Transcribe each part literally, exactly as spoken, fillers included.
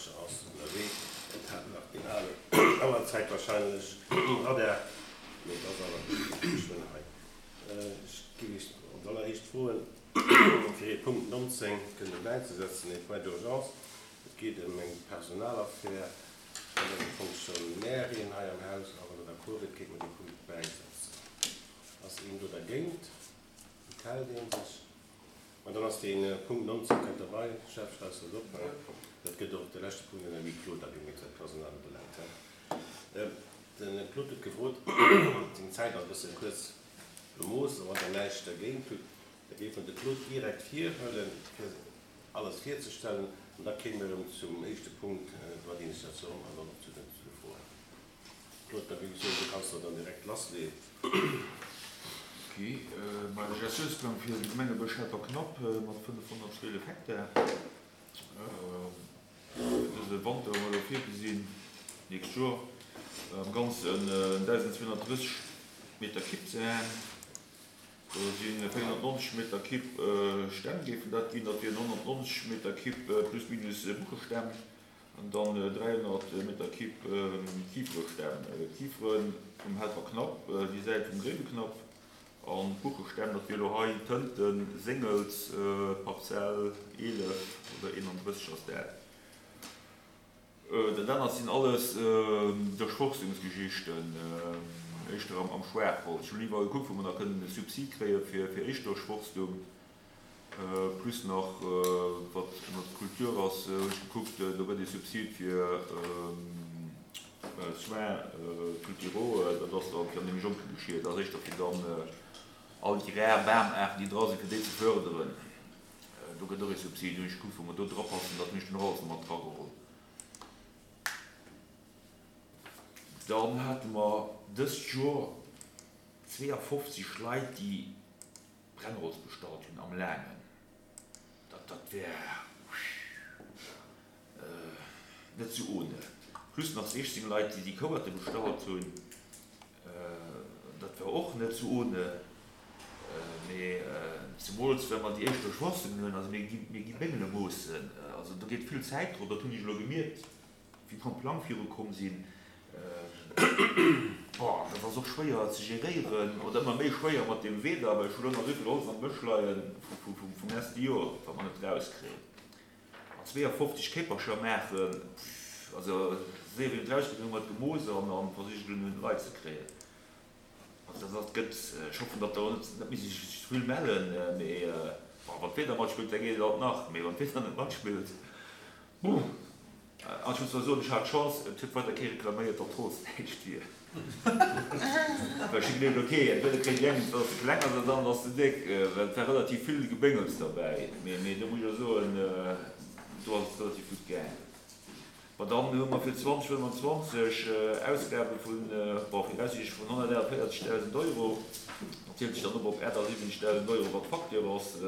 Eicher ass ënnerwee. Et hat nach deen alen Auerzäit warscheinlech um Radar, mee et ass awer geschwënn hei. Ech géif Iech als alleréischt froen, fir ee Punkt nonzéng kënnen bäizesetzen, ee Point d'urgence. Et geet ëm eng Personalaffär vun engem Fonctionnairin hei am Haus, a wann Der d'accord wiert, kéinte mer dee Punkt bäisetzen. Ass een do dergéint? Enthält ee sech? An dann ass dee Punkt nonzéng kënnt derbei. Jeff, schreifs de dat op? Dat gëtt och de leschte Punkt an der Huis clos da gemierkt, wat d'Personal ubelaangt. De Claude huet gefrot, seng Zäit ass e bësse kuerz bemooss, a wann Der näischt dergéint hutt, da géife mer de Claude direkt virhuelen, fir alles virzestellen, an da kéime mer erëm zum éischte Punkt, Droit d'initiation, an dann och zu de Froen. Claude, da géif ech soen, du kanns der dann direkt lassleeën. Ok, ma de Gestiounsplang fir de Gemengebësch Helperknapp mat fënnefhonnertzwielef Hektar. Fir dëse Wanter hu mer elo virgesinn, d'nächst Joer am Ganzen dausenzweehonnertdrësseg Meter Kipp ze haen. Do si véierhonnertneunzeg Meter Kipp Stämm géifen dat ginn, dat wieren honnertneunzeg Meter Kipp plus minus Buchestämm an dann dräihonnert Meter Kipp Kiferestämm. Kifere vum Helperknapp, déi Säit vum Gréiweknapp, an d'Buchestämm, dat wier elo hei Tënten, Séngels, Parzell eelef oder eenandrësseg ass dat. Dat anert sinn alles Durchforstungsgeschichten, éischter am Schwaachholz. Ech hunn iwwerall gekuckt, wou mer nach kënnen e Subsid kréie fir Éischtdurchforstung, plus nach wat ënner Kultur ass, hunn ech gekuckt, do gëtt e Subsid fir Soins culturaux, dat ass dann fir an deem Jonke Geschier, dat ass éischter fir dann all déi rar Bamaarten, déi dra sinn, fir déi ze fërderen. Do gëtt och e Subsid, hunn ech gekuckt, wou mer do drapassen, dat hunn ech dann och alles nach mat drageholl. Dann hate mer dëst Joer zweeafofzeg Leit, déi Brennholz bestallt hunn am Laangen. Dat, dat wär net sou ohne. Plus nach siechzéng Leit, déi déi Kouerte bestallt hunn. Dat war och net sou ohne. Mee zemools well mer déi éischt Durchforstungen hunn, also mir gi, mir gi Béngele moossen, also do geet vill Zäit drop, dat hunn ech elo gemierkt, wéi mer am Plang virukomm sinn. Bon, dat ass och schwéier ze geréieren, oder ëmmer méi schwéier mat deem Wieder, well ech hu lo nach esou vill Holz am Bësch leie vum leschte Joer, wat mer net erauskréien. An zweeafofzeg Kéipercher maachen, also séier wéi et erausgeet, hu mer et gemooss an versicht et un d'Leit ze kréien. Also dat gëtt, ech hoffen, datt der och net méi sech ze vill mellen, mee bon, wann d'Wieder matspillt, da geet et alt nach, mee wann d'Wieder net matspillt, buh. An ech muss zwar soen, ech hat Chance, et huet weider kee reklaméiert, datt d'Holz näischt wier. Well ech hu geduecht, ok, entweder kréien déi eng et, well se kleng ass, oder d'anert ass ze déck, well et war relativ vill Gebéngels derbäi. Mee do muss ech och soen, do ass et relativ gutt gaang. Bon, dann hu mer fir zwanzeg fënnfanzwanzeg Ausgabe vun, bon, viraussiichtlech vun honnertaachtenvéierzegdausend Euro. Dat zielt sech dann op op achtasiwwenzegdausend Euro, wat d'Facture ass.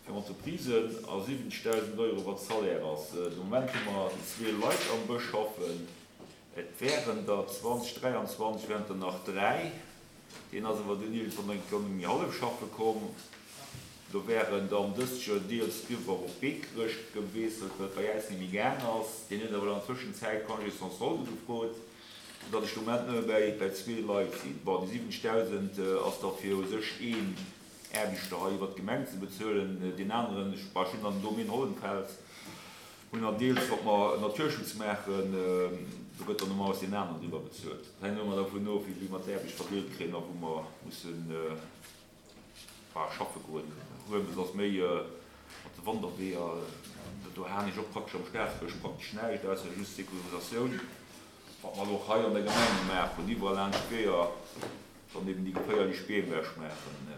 Fir Entreprisen a siwwenzegdausend Euro wat Salaire ass. De Moment hu mer zwee Leit am Bësch schaffen. Et wären der zwanzeg dräianzwanzeg wären der nach dräi. Deen ass awer dunn iergendwann eng Kéier nëmme méi hallef schaffe komm. Do wären dann dëst Joer deels driwwer op Beekerech gewiesselt, well et bei äis net méi gaang ass. Deen huet awer an der Tëschenzäit Congé sans solde gefrot, soudatt ech de Moment nëmme bäi bäi zwee Leit sinn. Bon, déi siwwenzegdausend ass da fir u sech een Aarbechter hei iwwert d'Gemeng ze bezuelen, deen aneren, ech hunn dann den Domaine Hollenfels, hunn dann deels, wat mer Naturschutz maachen, do gëtt dann normalerweis deen aneren driwwer bezuelt. Dat hänkt ëmmer dervun of, wéi mer d'Aarbecht verdeelt kréien a wou mer mussen schaffe goen. Huelmes ass méi mat de Wanderweeër, do haen ech och praktesch am Staatsbësch praktesch näischt, ausser just Securisatioun, wat mer elo och hei an der Gemeng gemaach hunn, iwwerall laanscht d'Weeër dann eben déi geféierlech Beem ewechmaachen.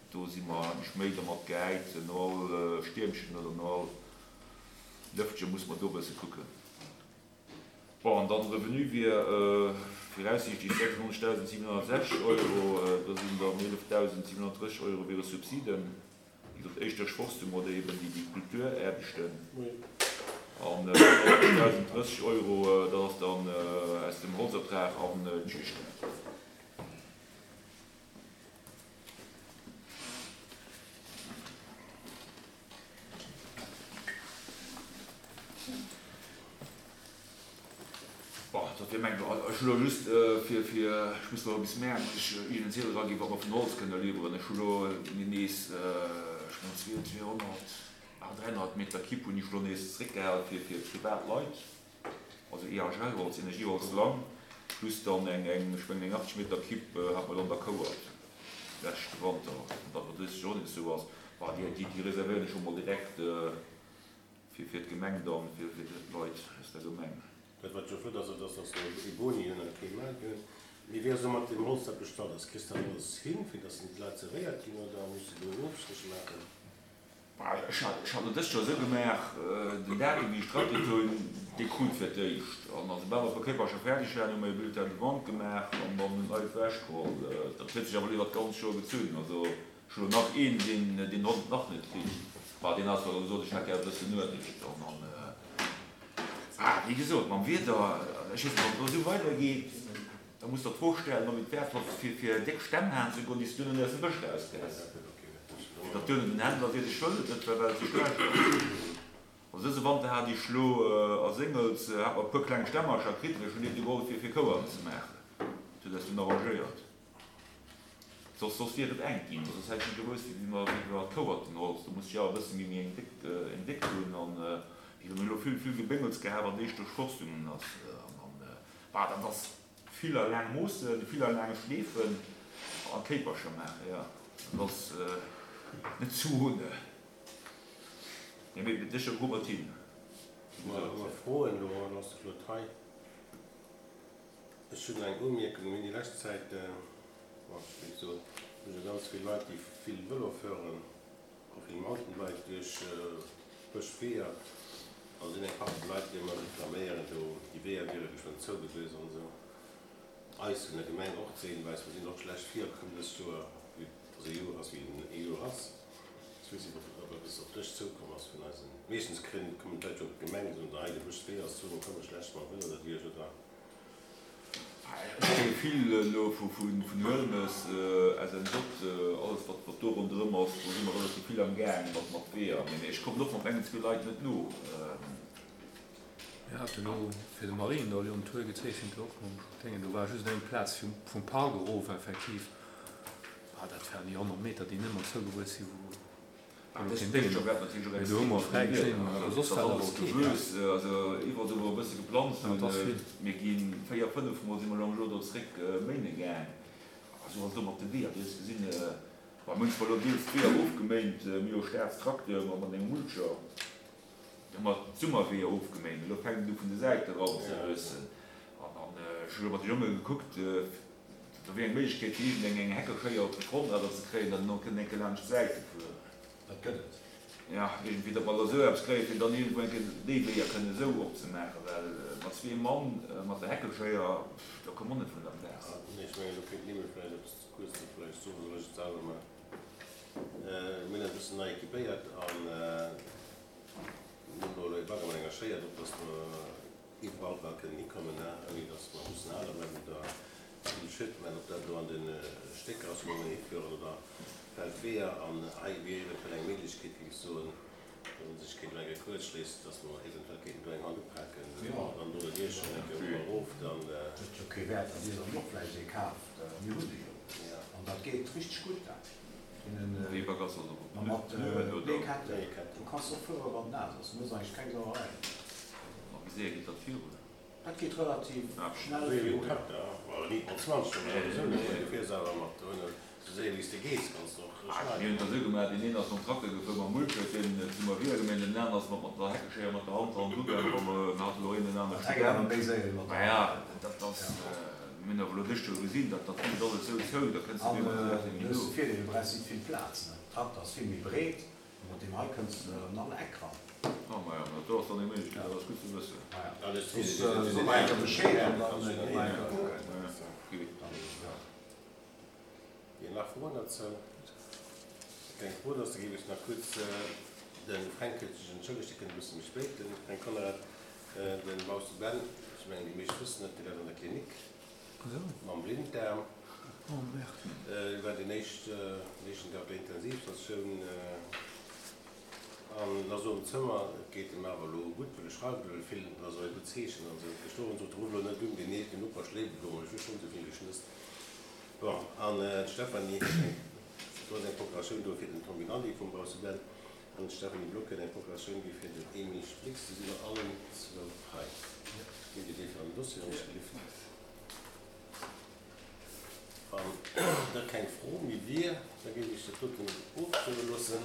Do si mer eigentlech méi dermat gehäit, no all Stiermchen oder no all Lëftche muss mer do e bësse kucken. Bon, an dann de Revenu wier viraussiichtlech sechsundneunzegdausendsiwenhonnertsechzeg Euro, do sinn dann eelefdausendsiwenhonnertdrësseg Euro wiere Subsiden, wéi gesot éischter Schworstung oder eben déi Kulturaarbechten, an honnertdausenddrësseg Euro, dat ass dann aus dem Holzertrag an d'Juegd. Dofir mengen ech, ech hu lo just fir, fir, ech muss elo bis Mäerz, muss ech iergend en Ziedel eraginn, wat mer vun Holz kënne liwweren. Ech hu lo nees, ech mengen zwee, zweehonnert, ah dräihonnert Meter Kipp hunn ech lo nees zeréckgehal fir, fir privat Leit, also E H L-Holz, Energieholz lang, plus dann eng, eng, ech mengen eng achtzeg Meter Kipp hat mer dann der Kouert leschte Wanter, an datt et dëst Joer och nees esou ass, bah déi, déi, déi reservéieren ech scho mol direkt fir, fir d'Gemeng dann, fir, fir d'Leit aus der Gemeng. Dat wat jo flott ass, dat ass, dass mer e Boni hunn a kee Maart hunn. Mee wéi ass elo mat deem Holz, dat bestallt ass? Kriss de dat alles hin, fir dass en d'Leit zerwéiert ginn, oder muss de do en Ofstréch maachen? Ech hat ech hat et dëst Joer esou gemaach, den Datum wéi ech d'Rakete hunn, dee krut fir d'éischt. An esoubal mer d'Pakéipercher fäerdeg waren, hu mer e Bulletin de vente gemaach an dann hunn d'Leit ewechgeholl. Dat huet sech awer elo iwwer d'ganz Joer gezunn. Also ech hu elo nach een, deen deen haut nach net kritt. Bah, deen hat zwar gesot, ech hätt gär e bëssen Ueleg. An dann, ah, wéi gesot, mam Wieder, ech weess net, wann et elo esou weidergeet, da muss der d'Fro stellen, ob et wäert ass, fir fir déck Stämm haen ze goen, déi s du duerno aus dem Bësch erauskriss. Fir datt duerno den Händler seet, ech wëll et net, well et ze schlecht ass. Also dëse Wanter hat ech lo a Séngels hat mer e puer kleng Stämmercher kritt, mee ech hunn déi geholl fir fir Kouerten ze maachen. Dat huet eis dunn arrangéiert. Soss soss wier et enk ginn, soss hätt ech net gewosst, wéi mer wéi mer d'Kouertenholz, do muss ech awer e bësse méi méi eng déck eng déck hunn an wéi mer elo vill vill Gebéngels gehat, an déi duerch Forstungen ass an an bah dat ass vill a laang Moossen, vill a laang Schleefen a Kéipercher maachen, jo dat ass net zu ohne. Nee, mee sécher krute mer et hin, wéi Hu gesot. mer Froen elo an ass de Claude hei? Ech hunn eng Umierkung, Mir hunn déi lescht Zäit, bon, ech géif soen, hu jo ganz vill Leit, déi vill Vëlo fueren a vill Mountainbike duerch Bëschweeër. A sinn eng Partie Leit, déi ëmmer reklaméieren, do déi Weeër wiere geschwënn zougewiess an esou. Eis vun der Gemeng och ze hinweisen, mer sinn och schlecht virkomm dëst Joer, vue dass e Joer ass wéi e Joer ass. Ech weess net, ob eppes op dech zoukomm ass vun eisen. Meeschtens kréien, kommen d'Leit jo op d'Gemeng, soen se, hei de Bëschwee ass zou, mer komme schlecht mam Vëlo derduerch oder. Ech kréie vill elo vun Huelmes, S N J, alles wat wat do ronderëm ass, do si mer relativ vill am Gaang mat mat Weeër, mee ech kommen och mat mengen zwee Leit net no. Mir haten elo fir de Mariendall jo en Tour gezeechent och mam Déngen. Do war just eng Plaz vum vum Park erof effektiv. Ah, dat waren déi honnert Meter, déi net mat zougewuess sinn, wou wou elo keen Déngen ass. Mee do hu mer fräi geschnidden, awer soss war dat alles keen. Also iwwerall do wou e bësse geplanzt Ja, hunn, et ass vill. mir gi véier, fënnef Mol si mer elo am Joer do zréck méine gaang. Esou ass et och mat de Weeër. Du hues gesinn, bei mir hunn zwar elo deels d'Weeër ofgeméint, mir hu jo Staatstracteur mat engem Mulcher, do hu mer d'Summerweeër ofgeméint. Elo fänkt et u vun de Säite eran ze wuessen. An an ech hu elo mat de Jonge gekuckt, do wier eng Méiglechkeet fir iergendeng eng Heckeschéier op de Frontrader ze kréien, datt en och kënnt eng Kéier laanscht d'Säite fueren. Dat gëtt et. Jo, iergendwéi, datt mer da esou eppes kréien, fir dann iergendwou eng Kéier déi Weeër kënnen esou opzemaachen, well mat zwee Mann mat der Heckeschéier, do komme mer net vun der Plaz. Nee, ech mengen, do kéint d'Nimmel vläicht eppes kuerz vläicht soen, soll ech et selwer maachen? Mir hunn eis e bëssen nei equipéiert an mir hunn do elo e Bagger mat enger Schéier drop, dass mer iwwerall bal kënnen hikommen, ouni dass mer mussen hale bleiwen oder vill Schëtt maachen, ob dat elo an de Stécker ass, wou mer hifueren, oder Feldweeër. An hei wier eventuell eng Méiglechkeet, géif ech soen, dass ee sech kéint elo eng Kéier kuerzschléissen, dass mer eventuell kéinten do eng Hand upaken, dann do derduerch an eng Kéier erof, dann. Huet jo kee Wäert, datt Dir dann och vläicht ee kaaft. Mir hunn e jo. An dat geet richteg gutt, dat. Wéi Bagger ass dat? Ma mat Pneuen oder? Bleeketten. Du kanns och fuere wann et naass ass. Du hues eigentlech keng Sauerei. Ma wéi séier geet dat virun? Dat geet relativ schnell Wéi virun. en Trakter, well nit mat zwanzeg, mä sowieso net, well du fiers awer mat dohinner, sou séier wéi s de gees, kanns de och Mir hunn schneiden. et esou gemaach, deen een ass mam Trakter gefuer mam Mulcher, fir en ze Maria geméint, den aneren ass mat mat der Heckeschéier mat der Hand hannendru gaangen, wa mer, mir haten elo een den anere Dat hänkt awer Student. méi séier iwwer Ma der ja, Hand. dat ass, mir hunn awer elo dëst Joer gesinn, dat dat wiisst alles esou zou, da kënns de An net méi mat der Säit du méi hues no. de Virdeel, du brauchs nit vill Plaz, ne? Den Trakter ass vill méi breet, a mat deem hei kënns de an all Eck ran. Ah, ma ja, ma dat do ass dann eng Méiglechkeet, dat ass gutt ze wëssen. Maja, Alles soss so mer eng Kéier Bescheed an dann gi mer eng Kéier kucken. Ja, okay. Dann, ja. Dir nach Froen dozou? Keng Fro, da géif ech nach kuerz de Fränk huet sech entschëllegt, dee kënnt e bësse méi spéit, de Fränk Conrad, de Bausse Ben, ech mengen déi meescht wëssen et, dee läit an der Klinik mam Blinddaarm. Hie war deen éischten, éischten Dag op der Intensivstatioun. An et ass elo am Zëmmer, et geet em awer elo gutt, well e schreift elo vill, dat ass och e gutt Zeechen. Also gestuerwen sot, Ruff elo net un, deen den Noper schléift elo, ech hu schonn esou vill geschnësst. Bon, an d'Stéphanie huet eng, do ass eng Procuratioun do fir den Tom Rinaldi vum Bausse Ben, an d'Stéphanie Block huet eng Procuratioun gi fir den Emile Splix. Déi sinn och allen zwou hei. Gitt Dir déi fir an den Dossier, wann ech gelift. Wann da keng Fro méi wier, da géif ech dat doten ofstëmme loossen.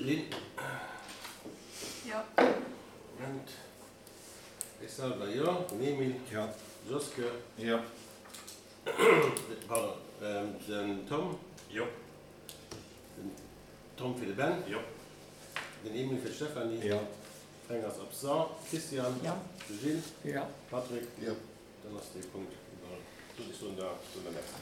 Lynn? Jo. Moment. Ech selwer jo. Den Emile? Jo. Joske? Jo. Pardon, den Tom? Jo. Den Tom fir de Ben? Jo. Den Emile fir d'Stéphanie? Jo. Fränk ass absent. Christian? Jo. De Gilles? Jo. Patrick? Jo. Dann ass dee Punkt iwwerall. Soss ech soen da, soen der Merci.